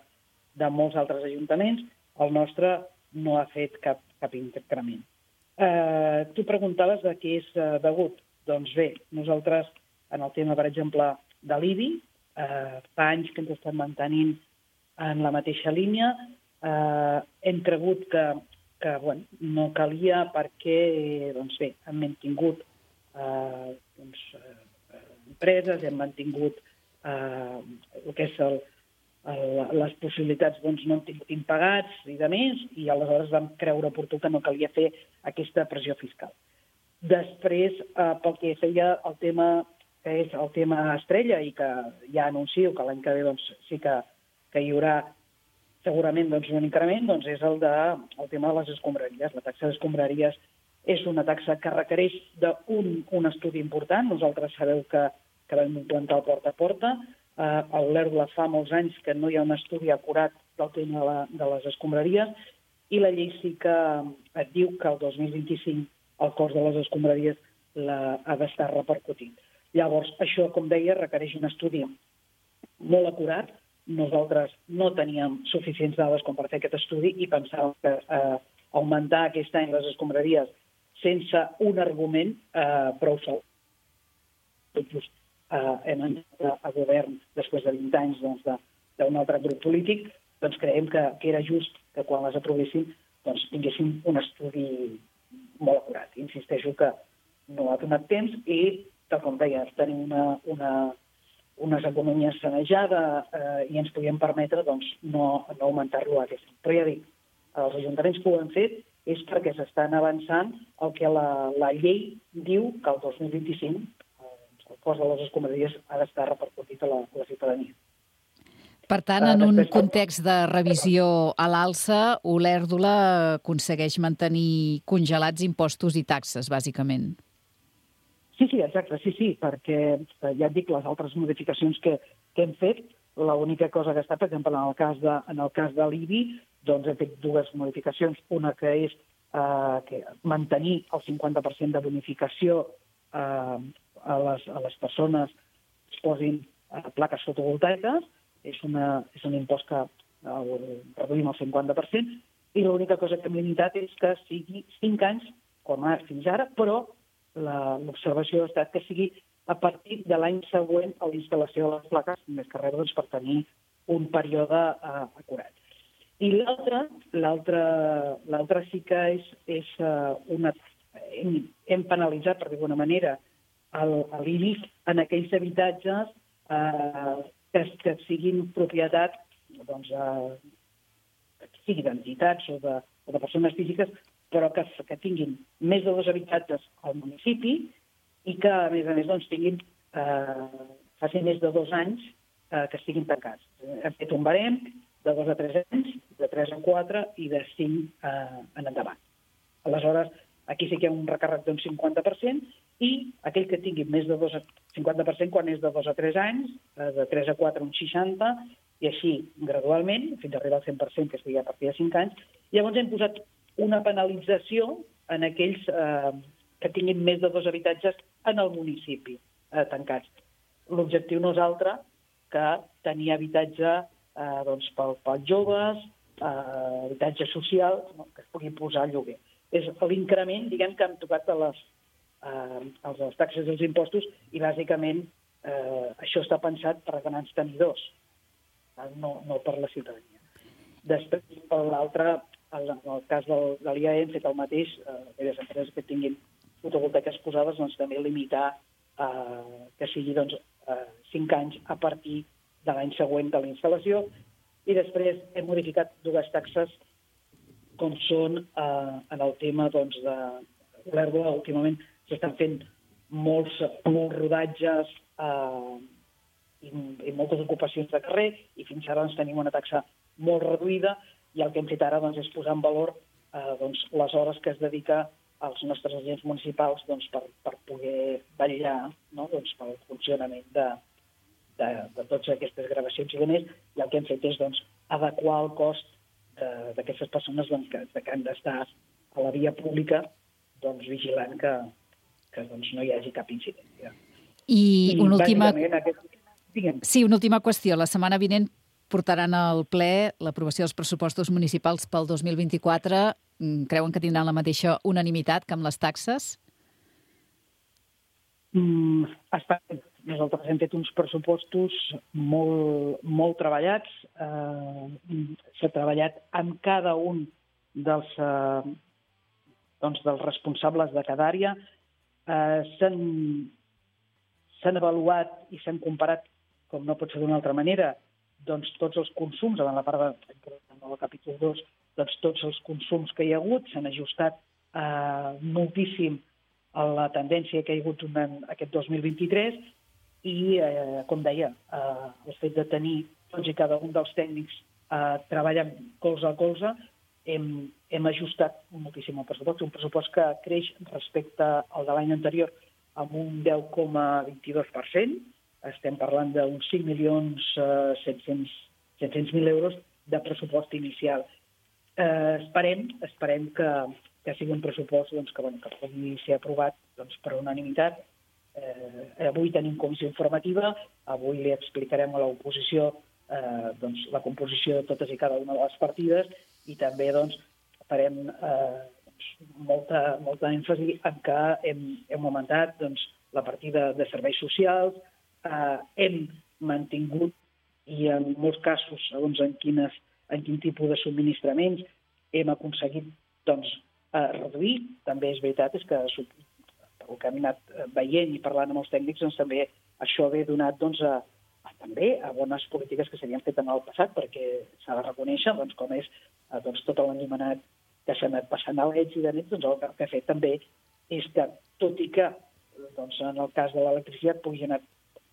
de molts altres ajuntaments, el nostre no ha fet cap, cap increment. Eh, tu preguntaves de què és eh, degut. Doncs bé, nosaltres, en el tema, per exemple, de l'I B I, eh, fa anys que ens estem mantenint en la mateixa línia. Eh, hem cregut que, que bueno, no calia perquè, doncs bé, hem mantingut eh, doncs, eh, empreses, hem mantingut eh, el que és el les possibilitats doncs, no han tingut impagats i de més, i aleshores vam creure oportú que no calia fer aquesta pressió fiscal. Després, eh, pel que feia el tema que és el tema estrella, i que ja anuncio que l'any que ve doncs, sí que, que hi haurà segurament doncs, un increment, doncs, és el, de, el tema de les escombraries. La taxa d'escombraries és una taxa que requereix d'un un estudi important. Nosaltres sabeu que, que vam implantar el porta a porta. Uh, a Olèrdola fa molts anys que no hi ha un estudi acurat del tema de, la, de les escombraries, i la llei sí que et diu que el dos mil vint-i-cinc el cost de les escombraries la, ha d'estar repercutint. Llavors, això, com deia, requereix un estudi molt acurat. Nosaltres no teníem suficients dades com per fer aquest estudi i pensàvem que uh, augmentar aquest any les escombraries sense un argument uh, prou sol. Tot just Uh, hem entrat a govern després de vint anys doncs, d'un de, altre grup polític, doncs creiem que, que era just que quan les aprovéssim doncs, tinguéssim un estudi molt acurat. Insisteixo que no ha donat temps i, tal com deies, tenim una, una, unes economies sanejades eh, i ens podíem permetre doncs, no, no augmentar-lo aquest any. Però ja dic, els ajuntaments que ho han fet és perquè s'estan avançant el que la, la llei diu que el dos mil vint-i-cinc el cost de les escombraries ha d'estar repercutit a la, a la ciutadania. Per tant, en un context de revisió a l'alça, Olèrdola aconsegueix mantenir congelats impostos i taxes, bàsicament. Sí, sí, exacte, sí, sí, perquè ja et dic, les altres modificacions que, que hem fet, l'única cosa que està, per exemple, en el cas de, en el cas de l'I B I, doncs hem fet dues modificacions. Una que és eh, que mantenir el cinquanta per cent de bonificació eh, a les, a les persones que es posin eh, plaques fotovoltaiques, és, una, és un impost que el reduïm al cinquanta per cent, i l'única cosa que hem limitat és que sigui cinc anys, com ara fins ara, però l'observació ha estat que sigui a partir de l'any següent a la instal·lació de les plaques, més que res doncs, per tenir un període eh, acurat. I l'altre, l'altre sí que és, és uh, una... Hem, hem penalitzat, per dir d'alguna manera, l'I B I en aquells habitatges eh, que, que siguin propietat, doncs, eh, que sigui d'entitats o, de, o de persones físiques, però que, que tinguin més de dos habitatges al municipi i que, a més a més, doncs, tinguin, eh, facin més de dos anys eh, que estiguin tancats. Hem fet un barem de dos a tres anys, de tres a quatre i de cinc eh, en endavant. Aleshores, aquí sí que hi ha un recàrrec d'un cinquanta per cent i aquell que tingui més de dos a cinquanta per cent quan és de dos a tres anys, de tres a quatre un seixanta, i així gradualment, fins a arribar al cent per cent, que estigui a partir de cinc anys. Llavors hem posat una penalització en aquells eh, que tinguin més de dos habitatges en el municipi eh, tancats. L'objectiu no és altre que tenir habitatge eh, doncs, pel, pels joves, eh, habitatge social, no? que es pugui posar a lloguer. És l'increment, diguem, que han tocat a les, eh, a les taxes dels impostos i, bàsicament, eh, això està pensat per grans tenidors, no, no per la ciutadania. Després, per l'altre, en el cas del, de l'I A E hem fet el mateix, eh, aquelles empreses que tinguin fotovoltaiques posades, doncs també limitar eh, que sigui doncs, eh, cinc anys a partir de l'any següent de la instal·lació. I després hem modificat dues taxes com són eh, en el tema doncs, de l'herba. Últimament s'estan fent molts, molts rodatges eh, i, i moltes ocupacions de carrer i fins ara doncs, tenim una taxa molt reduïda i el que hem fet ara doncs, és posar en valor eh, doncs, les hores que es dedica als nostres agents municipals doncs, per, per poder vetllar, no? doncs, pel funcionament de, de, de totes aquestes gravacions i de més, i el que hem fet és doncs, adequar el cost d'aquestes persones doncs, que, que han d'estar a la via pública doncs, vigilant que, que doncs, no hi hagi cap incidència. I, I una última... Aquest... Sí, una última qüestió. La setmana vinent portaran al ple l'aprovació dels pressupostos municipals pel dos mil vint-i-quatre. Creuen que tindran la mateixa unanimitat que amb les taxes? Mm, esperem. Nosaltres hem fet uns pressupostos molt, molt treballats. Eh, s'ha treballat amb cada un dels, eh, doncs dels responsables de cada àrea. Eh, s'han, s'han avaluat i s'han comparat, com no pot ser d'una altra manera, doncs tots els consums, en la part de, del capítol dos, doncs tots els consums que hi ha hagut s'han ajustat eh, moltíssim a la tendència que hi ha hagut en aquest dos mil vint-i-tres i, eh, com deia, eh, el fet de tenir tots i cada un dels tècnics eh, treballant colze a colze, hem, hem ajustat moltíssim el pressupost, un pressupost que creix respecte al de l'any anterior amb un deu coma vint-i-dos per cent. Estem parlant d'uns cinc milions set-cents mil euros de pressupost inicial. Eh, esperem esperem que, que sigui un pressupost doncs, que, bueno, que pugui ser aprovat doncs, per unanimitat. Eh, avui tenim comissió informativa, avui li explicarem a l'oposició eh, doncs, la composició de totes i cada una de les partides i també doncs, farem eh, doncs, molta, molta èmfasi en que hem, hem augmentat doncs, la partida de serveis socials, eh, hem mantingut i en molts casos, segons en, quines, en quin tipus de subministraments, hem aconseguit doncs, eh, reduir. També és veritat és que el que hem anat veient i parlant amb els tècnics, doncs també això ve donat doncs, a, a, també a bones polítiques que s'havien fet en el passat, perquè s'ha de reconèixer doncs, com és doncs, tot l'enllimenat que s'ha anat passant a l'Eds i de nit, doncs, el que ha fet també és que, tot i que doncs, en el cas de l'electricitat pugui anar,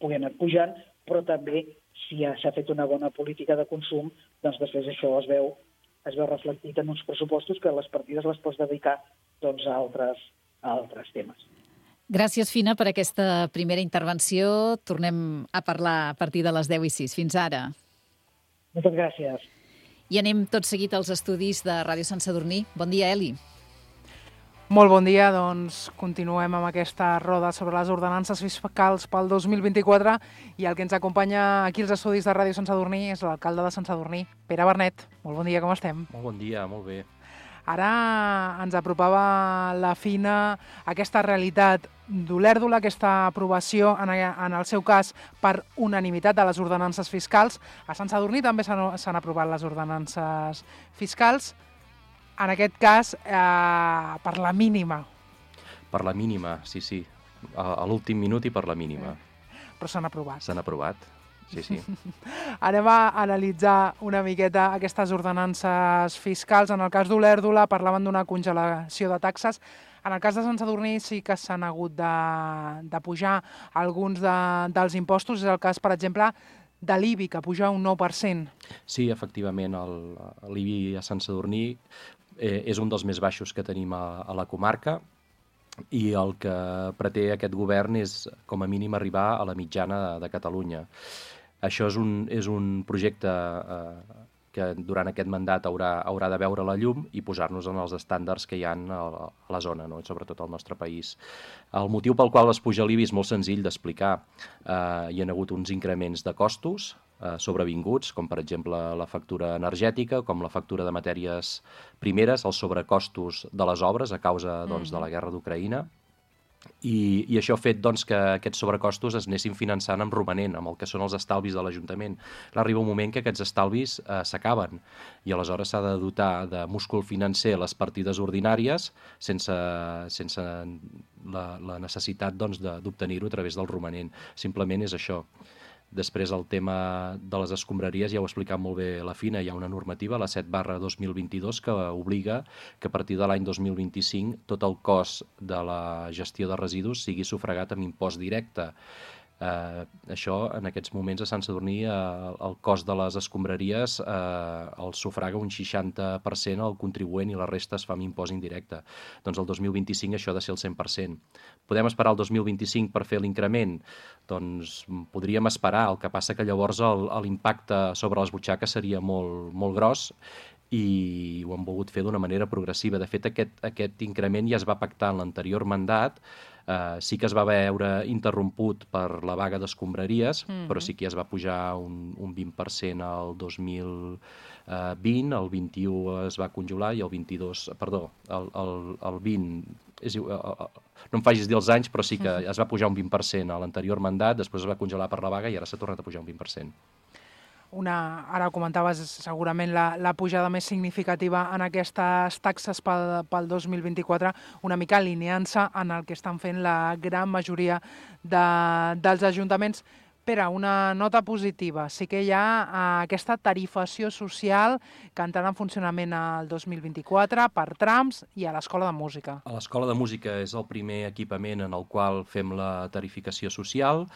pugui anar pujant, però també si s'ha fet una bona política de consum, doncs després això es veu, es veu reflectit en uns pressupostos que les partides les pots dedicar doncs, a, altres, a altres temes. Gràcies, Fina, per aquesta primera intervenció. Tornem a parlar a partir de les deu i sis. Fins ara. Moltes gràcies. I anem tot seguit als estudis de Ràdio Sant Sadurní. Bon dia, Eli. Molt bon dia, doncs continuem amb aquesta roda sobre les ordenances fiscals pel dos mil vint-i-quatre i el que ens acompanya aquí als estudis de Ràdio Sant Sadurní és l'alcalde de Sant Sadurní, Pere Bernet. Molt bon dia, com estem? Molt bon dia, molt bé. Ara ens apropava la Fina aquesta realitat d'Olèrdola, aquesta aprovació, en, en el seu cas, per unanimitat de les ordenances fiscals. A Sant Sadurní també s'han aprovat les ordenances fiscals, en aquest cas, eh, per la mínima. Per la mínima, sí, sí. A, a l'últim minut i per la mínima. Però s'han aprovat. S'han aprovat, sí, sí. Anem a analitzar una miqueta aquestes ordenances fiscals. En el cas d'Olèrdola parlaven d'una congelació de taxes. En el cas de Sant Sadurní sí que s'han hagut de, de pujar alguns de, dels impostos. És el cas, per exemple, de l'I B I, que puja un nou per cent. Sí, efectivament, l'I B I a Sant Sadurní eh, és un dels més baixos que tenim a, a la comarca i el que pretén aquest govern és, com a mínim, arribar a la mitjana de, de Catalunya. Això és un, és un projecte eh, que durant aquest mandat haurà, haurà de veure la llum i posar-nos en els estàndards que hi ha a la zona, no? Sobretot al nostre país. El motiu pel qual es puja l'I B I és molt senzill d'explicar. Eh, hi ha hagut uns increments de costos eh, sobrevinguts, com per exemple la factura energètica, com la factura de matèries primeres, els sobrecostos de les obres a causa doncs, de la guerra d'Ucraïna. I, i això ha fet doncs, que aquests sobrecostos es anessin finançant amb romanent, amb el que són els estalvis de l'Ajuntament. Arriba un moment que aquests estalvis eh, s'acaben i aleshores s'ha de dotar de múscul financer les partides ordinàries sense, sense la, la necessitat doncs, d'obtenir-ho a través del romanent. Simplement és això. Després el tema de les escombraries ja ho ha explicat molt bé la Fina, hi ha una normativa, la set barra dos mil vint-i-dos, que obliga que a partir de l'any dos mil vint-i-cinc tot el cost de la gestió de residus sigui sufragat amb impost directe. Eh, això, en aquests moments, a Sant Sadurní, eh, el cost de les escombraries eh, el sufraga un seixanta per cent al contribuent i la resta es fa amb impost indirecte. Doncs el dos mil vint-i-cinc això ha de ser el cent per cent. Podem esperar el dos mil vint-i-cinc per fer l'increment? Doncs podríem esperar, el que passa que llavors l'impacte sobre les butxaques seria molt, molt gros i ho han volgut fer d'una manera progressiva. De fet, aquest, aquest increment ja es va pactar en l'anterior mandat. Uh, sí que es va veure interromput per la vaga d'escombraries, mm-hmm. però sí que ja es va pujar un, un vint per cent al dos mil vint, el vint-i-u es va congelar i el vint-i-dos, perdó, el, el, el vint, és, uh, uh, no em facis dir els anys, però sí que mm-hmm. es va pujar un vint per cent a l'anterior mandat, després es va congelar per la vaga i ara s'ha tornat a pujar un vint per cent. Una, ara ho comentaves, segurament la, la pujada més significativa en aquestes taxes pel, pel dos mil vint-i-quatre, una mica alineant-se en el que estan fent la gran majoria de, dels ajuntaments. Pere, una nota positiva. Sí que hi ha uh, aquesta tarifació social que entrarà en funcionament el dos mil vint-i-quatre per trams i a l'Escola de Música. A l'Escola de Música és el primer equipament en el qual fem la tarificació social.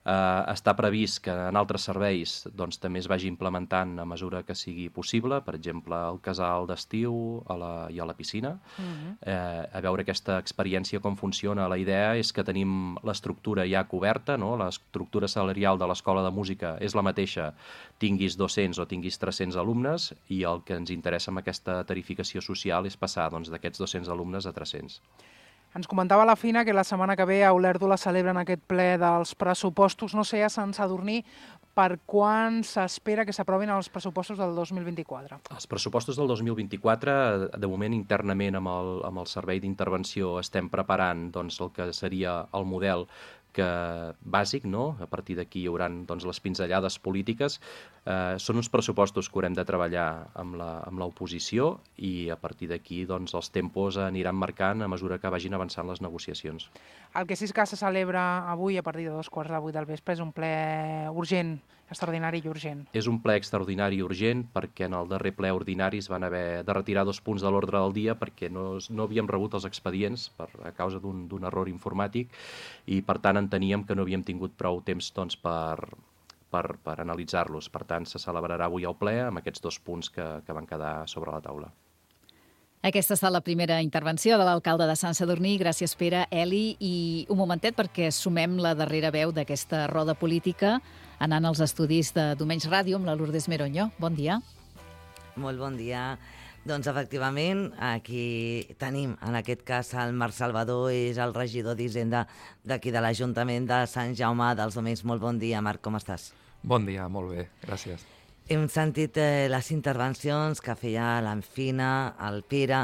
Uh, està previst que en altres serveis doncs, també es vagi implementant a mesura que sigui possible, per exemple, al casal d'estiu a la, i a la piscina. Uh-huh. uh, a veure aquesta experiència com funciona. La idea és que tenim l'estructura ja coberta, no? L'estructura salarial de l'Escola de Música és la mateixa, tinguis dos-cents o tinguis tres-cents alumnes, i el que ens interessa amb aquesta tarificació social és passar doncs, d'aquests dos-cents alumnes a tres-cents. Ens comentava la Fina que la setmana que ve a Olèrdola celebren aquest ple dels pressupostos. No sé, a Sant Sadurní, per quan s'espera que s'aprovin els pressupostos del dos mil vint-i-quatre? Els pressupostos del dos mil vint-i-quatre, de moment internament amb el, amb el Servei d'Intervenció estem preparant doncs, el que seria el model que bàsic, no? A partir d'aquí hi haurà doncs, les pinzellades polítiques. Eh, són uns pressupostos que haurem de treballar amb la, amb l'oposició i a partir d'aquí doncs, els tempos aniran marcant a mesura que vagin avançant les negociacions. El que sí que se celebra avui a partir de dos quarts de vuit del vespre és un ple urgent, extraordinari i urgent. És un ple extraordinari i urgent perquè en el darrer ple ordinari es van haver de retirar dos punts de l'ordre del dia perquè no, no havíem rebut els expedients per, a causa d'un, d'un error informàtic i per tant enteníem que no havíem tingut prou temps doncs, per, per, per analitzar-los. Per tant, se celebrarà avui el ple amb aquests dos punts que, que van quedar sobre la taula. Aquesta ha estat la primera intervenció de l'alcalde de Sant Sadurní. Gràcies, Pere. Eli, i un momentet perquè sumem la darrera veu d'aquesta roda política anant als estudis de Domenys Ràdio amb la Lourdes Meronyo. Bon dia. Molt bon dia. Doncs, efectivament, aquí tenim, en aquest cas, el Marc Salvador, és el regidor d'Hisenda d'aquí de l'Ajuntament de Sant Jaume dels Domenys. Molt bon dia, Marc, com estàs? Bon dia, molt bé, gràcies. Hem sentit eh, les intervencions que feia l'Anfina, el Pere.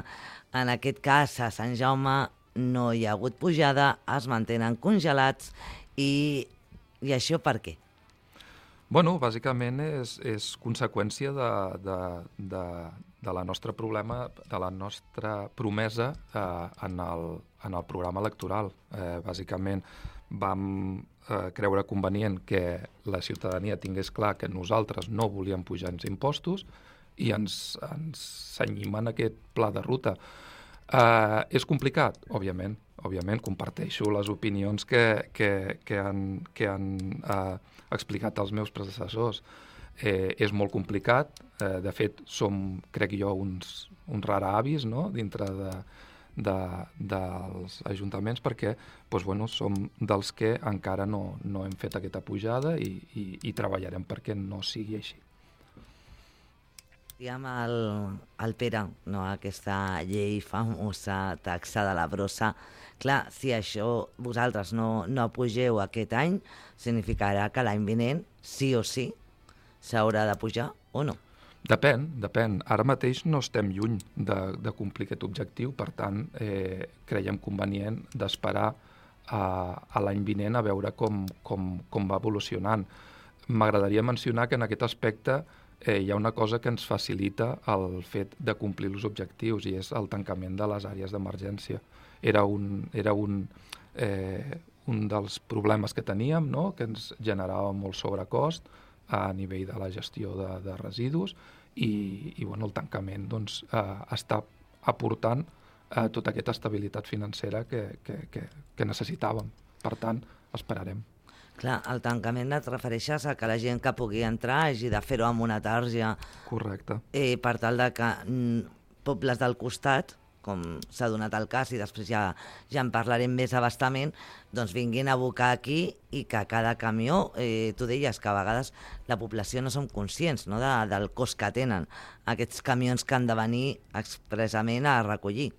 En aquest cas, a Sant Jaume no hi ha hagut pujada, es mantenen congelats i, i això per què? Bueno, bàsicament és, és conseqüència de, de, de, de la nostra problema, de la nostra promesa eh, en, el, en el programa electoral. Eh, bàsicament vam eh, creure convenient que la ciutadania tingués clar que nosaltres no volíem pujar els impostos i ens, ens cenyim en aquest pla de ruta. Eh, és complicat? Òbviament. Òbviament, comparteixo les opinions que, que, que han, que han eh, explicat els meus predecessors. Eh, és molt complicat. Eh, de fet, som, crec jo, uns, uns raravis, no?, dintre de, de, dels ajuntaments perquè doncs, bueno, som dels que encara no, no hem fet aquesta pujada i, i, i treballarem perquè no sigui així. Diem el, el Pere, no? Aquesta llei famosa, taxa de la brossa. Clar, si això vosaltres no, no pugeu aquest any, significarà que l'any vinent, sí o sí, s'haurà de pujar o no? Depèn, depèn. Ara mateix no estem lluny de, de complir aquest objectiu, per tant, eh, creiem convenient d'esperar a, a l'any vinent a veure com, com, com va evolucionant. M'agradaria mencionar que en aquest aspecte eh, hi ha una cosa que ens facilita el fet de complir els objectius i és el tancament de les àrees d'emergència. Era un, era un, eh, un dels problemes que teníem, no? Que ens generava molt sobrecost a nivell de la gestió de, de residus i, i bueno, el tancament doncs, eh, està aportant eh, tota aquesta estabilitat financera que, que, que, que necessitàvem. Per tant, esperarem. Clar, el tancament et refereixes a que la gent que pugui entrar hagi de fer-ho amb una tarja. Correcte. Eh, per tal de que mm, pobles del costat, com s'ha donat el cas, i després ja, ja en parlarem més abastament, doncs vinguin a abocar aquí i que cada camió, eh, tu deies que a vegades la població no som conscients, no, de, del cost que tenen aquests camions que han de venir expressament a recollir.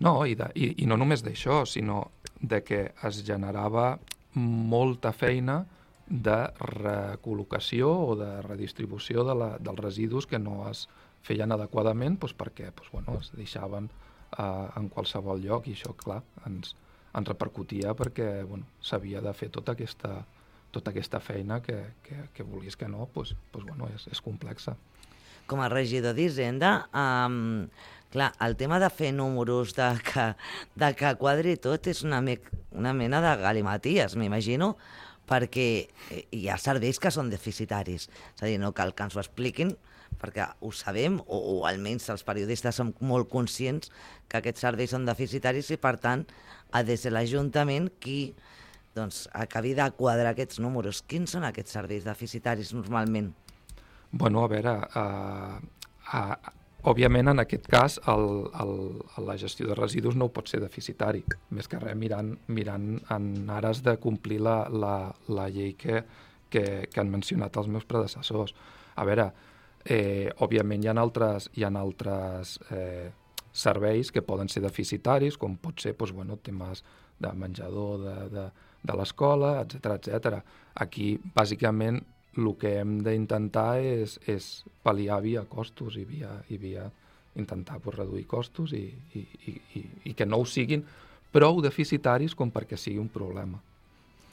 No, i, de, i, i no només d'això, sinó de que es generava molta feina de recol·locació o de redistribució de la, dels residus que no es feien adequadament doncs perquè doncs, bueno, es deixaven eh, en qualsevol lloc i això, clar, ens, ens repercutia perquè bueno, s'havia de fer tota aquesta, tota aquesta feina que, que, que vulguis que no, doncs, doncs, bueno, és, és complexa. Com a regidor d'Hisenda, um, clar, el tema de fer números, de que, de que quadri tot, és una, me, una mena de galimaties, m'imagino, perquè hi ha serveis que són deficitaris. És a dir, no cal que ens ho expliquin, perquè ho sabem, o, o almenys els periodistes som molt conscients que aquests serveis són deficitaris i, per tant, ha de ser l'Ajuntament qui doncs, acabi de quadrar aquests números. Quins són aquests serveis deficitaris normalment? Bueno, a veure, uh, uh, òbviament en aquest cas el, el, la gestió de residus no pot ser deficitari, més que res mirant, mirant en ares de complir la, la, la llei que, que, que han mencionat els meus predecessors. A veure, eh, òbviament hi ha altres, hi ha altres eh, serveis que poden ser deficitaris, com pot ser doncs, bueno, temes de menjador de, de, de l'escola, etcètera, etcètera. Aquí, bàsicament, el que hem d'intentar és, és pal·liar via costos i via, i via intentar pues, reduir costos i, i, i, i que no ho siguin prou deficitaris com perquè sigui un problema.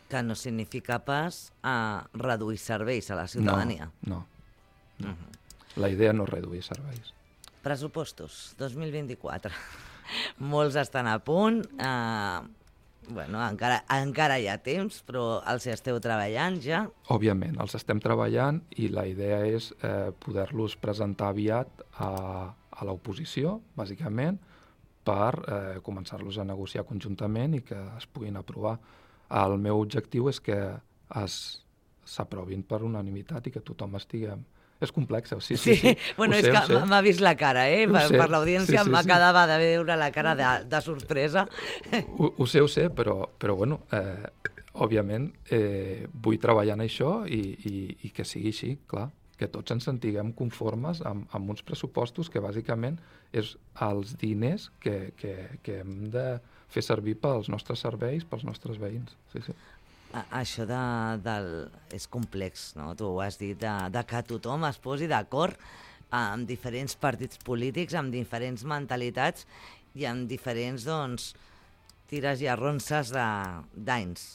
Que no significa pas a reduir serveis a la ciutadania. No, no. Uh-huh. La idea no és reduir serveis. Pressupostos dos mil vint-i-quatre. Molts estan a punt. Eh, bueno, encara, encara hi ha temps, però els esteu treballant ja? Òbviament, els estem treballant i la idea és eh, poder-los presentar aviat a, a l'oposició, bàsicament, per eh, començar-los a negociar conjuntament i que es puguin aprovar. El meu objectiu és que s'aprovin per unanimitat i que tothom estigui... És complex, sí, sí, sí. sí. Bueno, és sé, que m'ha vist la cara, eh? Per, per l'audiència sí, sí, m'acabava sí. de veure la cara de, de sorpresa. Ho, ho sé, ho sé, però, però bueno, eh, òbviament eh, vull treballar en això i, i, i que sigui així, clar, que tots ens sentiguem conformes amb, amb uns pressupostos que bàsicament és els diners que, que, que hem de fer servir pels nostres serveis, pels nostres veïns. Sí, sí. Això de, del, és complex, no? Tu ho has dit, de, de que tothom es posi d'acord amb diferents partits polítics, amb diferents mentalitats i amb diferents, doncs, tires i arronses d'anys.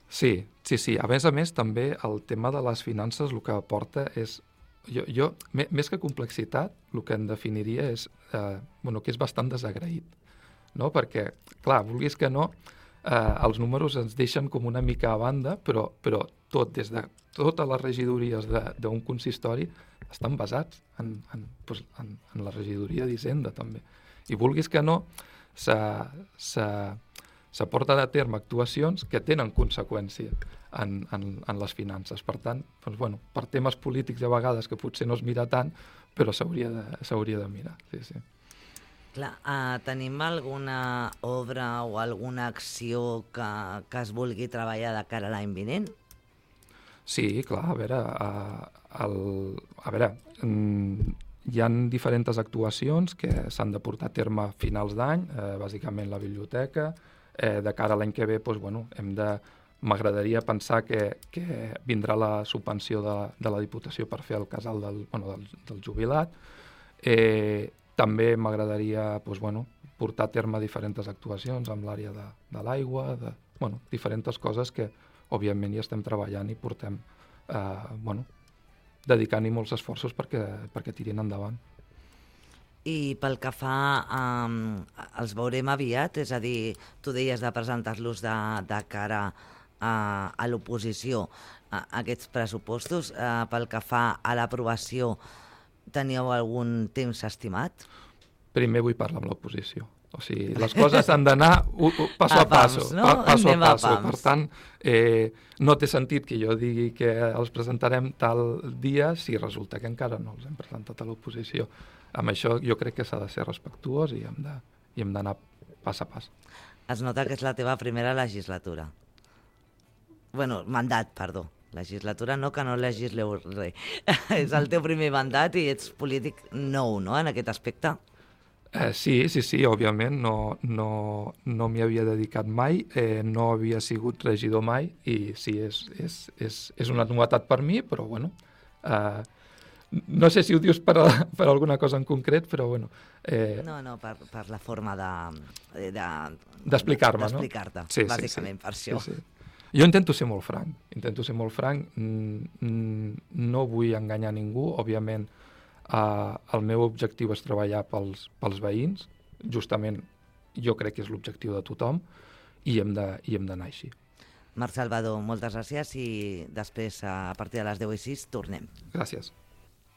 Sí, sí, sí. A més a més, també el tema de les finances el que aporta és... Jo, jo més que complexitat, el que en definiria és eh, bueno, que és bastant desagraït, no? Perquè, clar, vulguis que no... Eh, els números ens deixen com una mica a banda, però, però tot, des de totes les regidories d'un consistori estan basats en, en, doncs, en, en la regidoria d'Hisenda, també. I vulguis que no, s'aporten a terme actuacions que tenen conseqüència en, en, en les finances. Per tant, doncs, bueno, per temes polítics a vegades que potser no es mira tant, però s'hauria de, s'hauria de mirar, sí, sí. Clar, uh, tenim alguna obra o alguna acció que, que es vulgui treballar de cara a l'any vinent? Sí, clar, a veure, uh, el, a veure mm, hi ha diferents actuacions que s'han de portar a terme a finals d'any, eh, bàsicament la biblioteca. Eh, de cara a l'any que ve, doncs, bueno, hem de... m'agradaria pensar que, que vindrà la subvenció de, de la Diputació per fer el casal del, bueno, del, del jubilat. Eh, també m'agradaria doncs, bueno, portar a terme diferents actuacions amb l'àrea de, de l'aigua, de, bueno, diferents coses que, òbviament, hi estem treballant i portem, eh, bueno, dedicant-hi molts esforços perquè, perquè tirin endavant. I pel que fa, um, els veurem aviat, és a dir, tu deies de presentar-los de, de cara a, a l'oposició, a, a aquests pressupostos. Uh, pel que fa a l'aprovació, teníeu algun temps estimat? Primer vull parlar amb l'oposició. O sigui, les coses han d'anar passo a, a passo, no? pa, passo Anem a passo. A per tant, eh, no té sentit que jo digui que els presentarem tal dia si resulta que encara no els hem presentat a l'oposició. Amb això jo crec que s'ha de ser respectuós i hem de, i hem d'anar pas a pas. Es nota que és la teva primera legislatura. Bueno, mandat, perdó. Legislatura no, que no legisleu res. És el teu primer mandat i ets polític nou, no?, en aquest aspecte. Eh, sí, sí, sí, òbviament, no, no, no m'hi havia dedicat mai, eh, no havia sigut regidor mai i sí, és, és, és, és una novetat per mi, però bueno, eh, no sé si ho dius per, a, per alguna cosa en concret, però bueno... Eh, no, no, per, per la forma de... de d'explicar-me, no? D'explicar-te, sí, bàsicament, sí, sí. per això. Sí, sí. Jo intento ser molt franc, intento ser molt franc, no vull enganyar ningú, òbviament. Uh, el meu objectiu és treballar pels, pels veïns, justament jo crec que és l'objectiu de tothom, i hem de, i hem d'anar així. Marc Salvador, moltes gràcies i després, a partir de les deu i sis, tornem. Gràcies.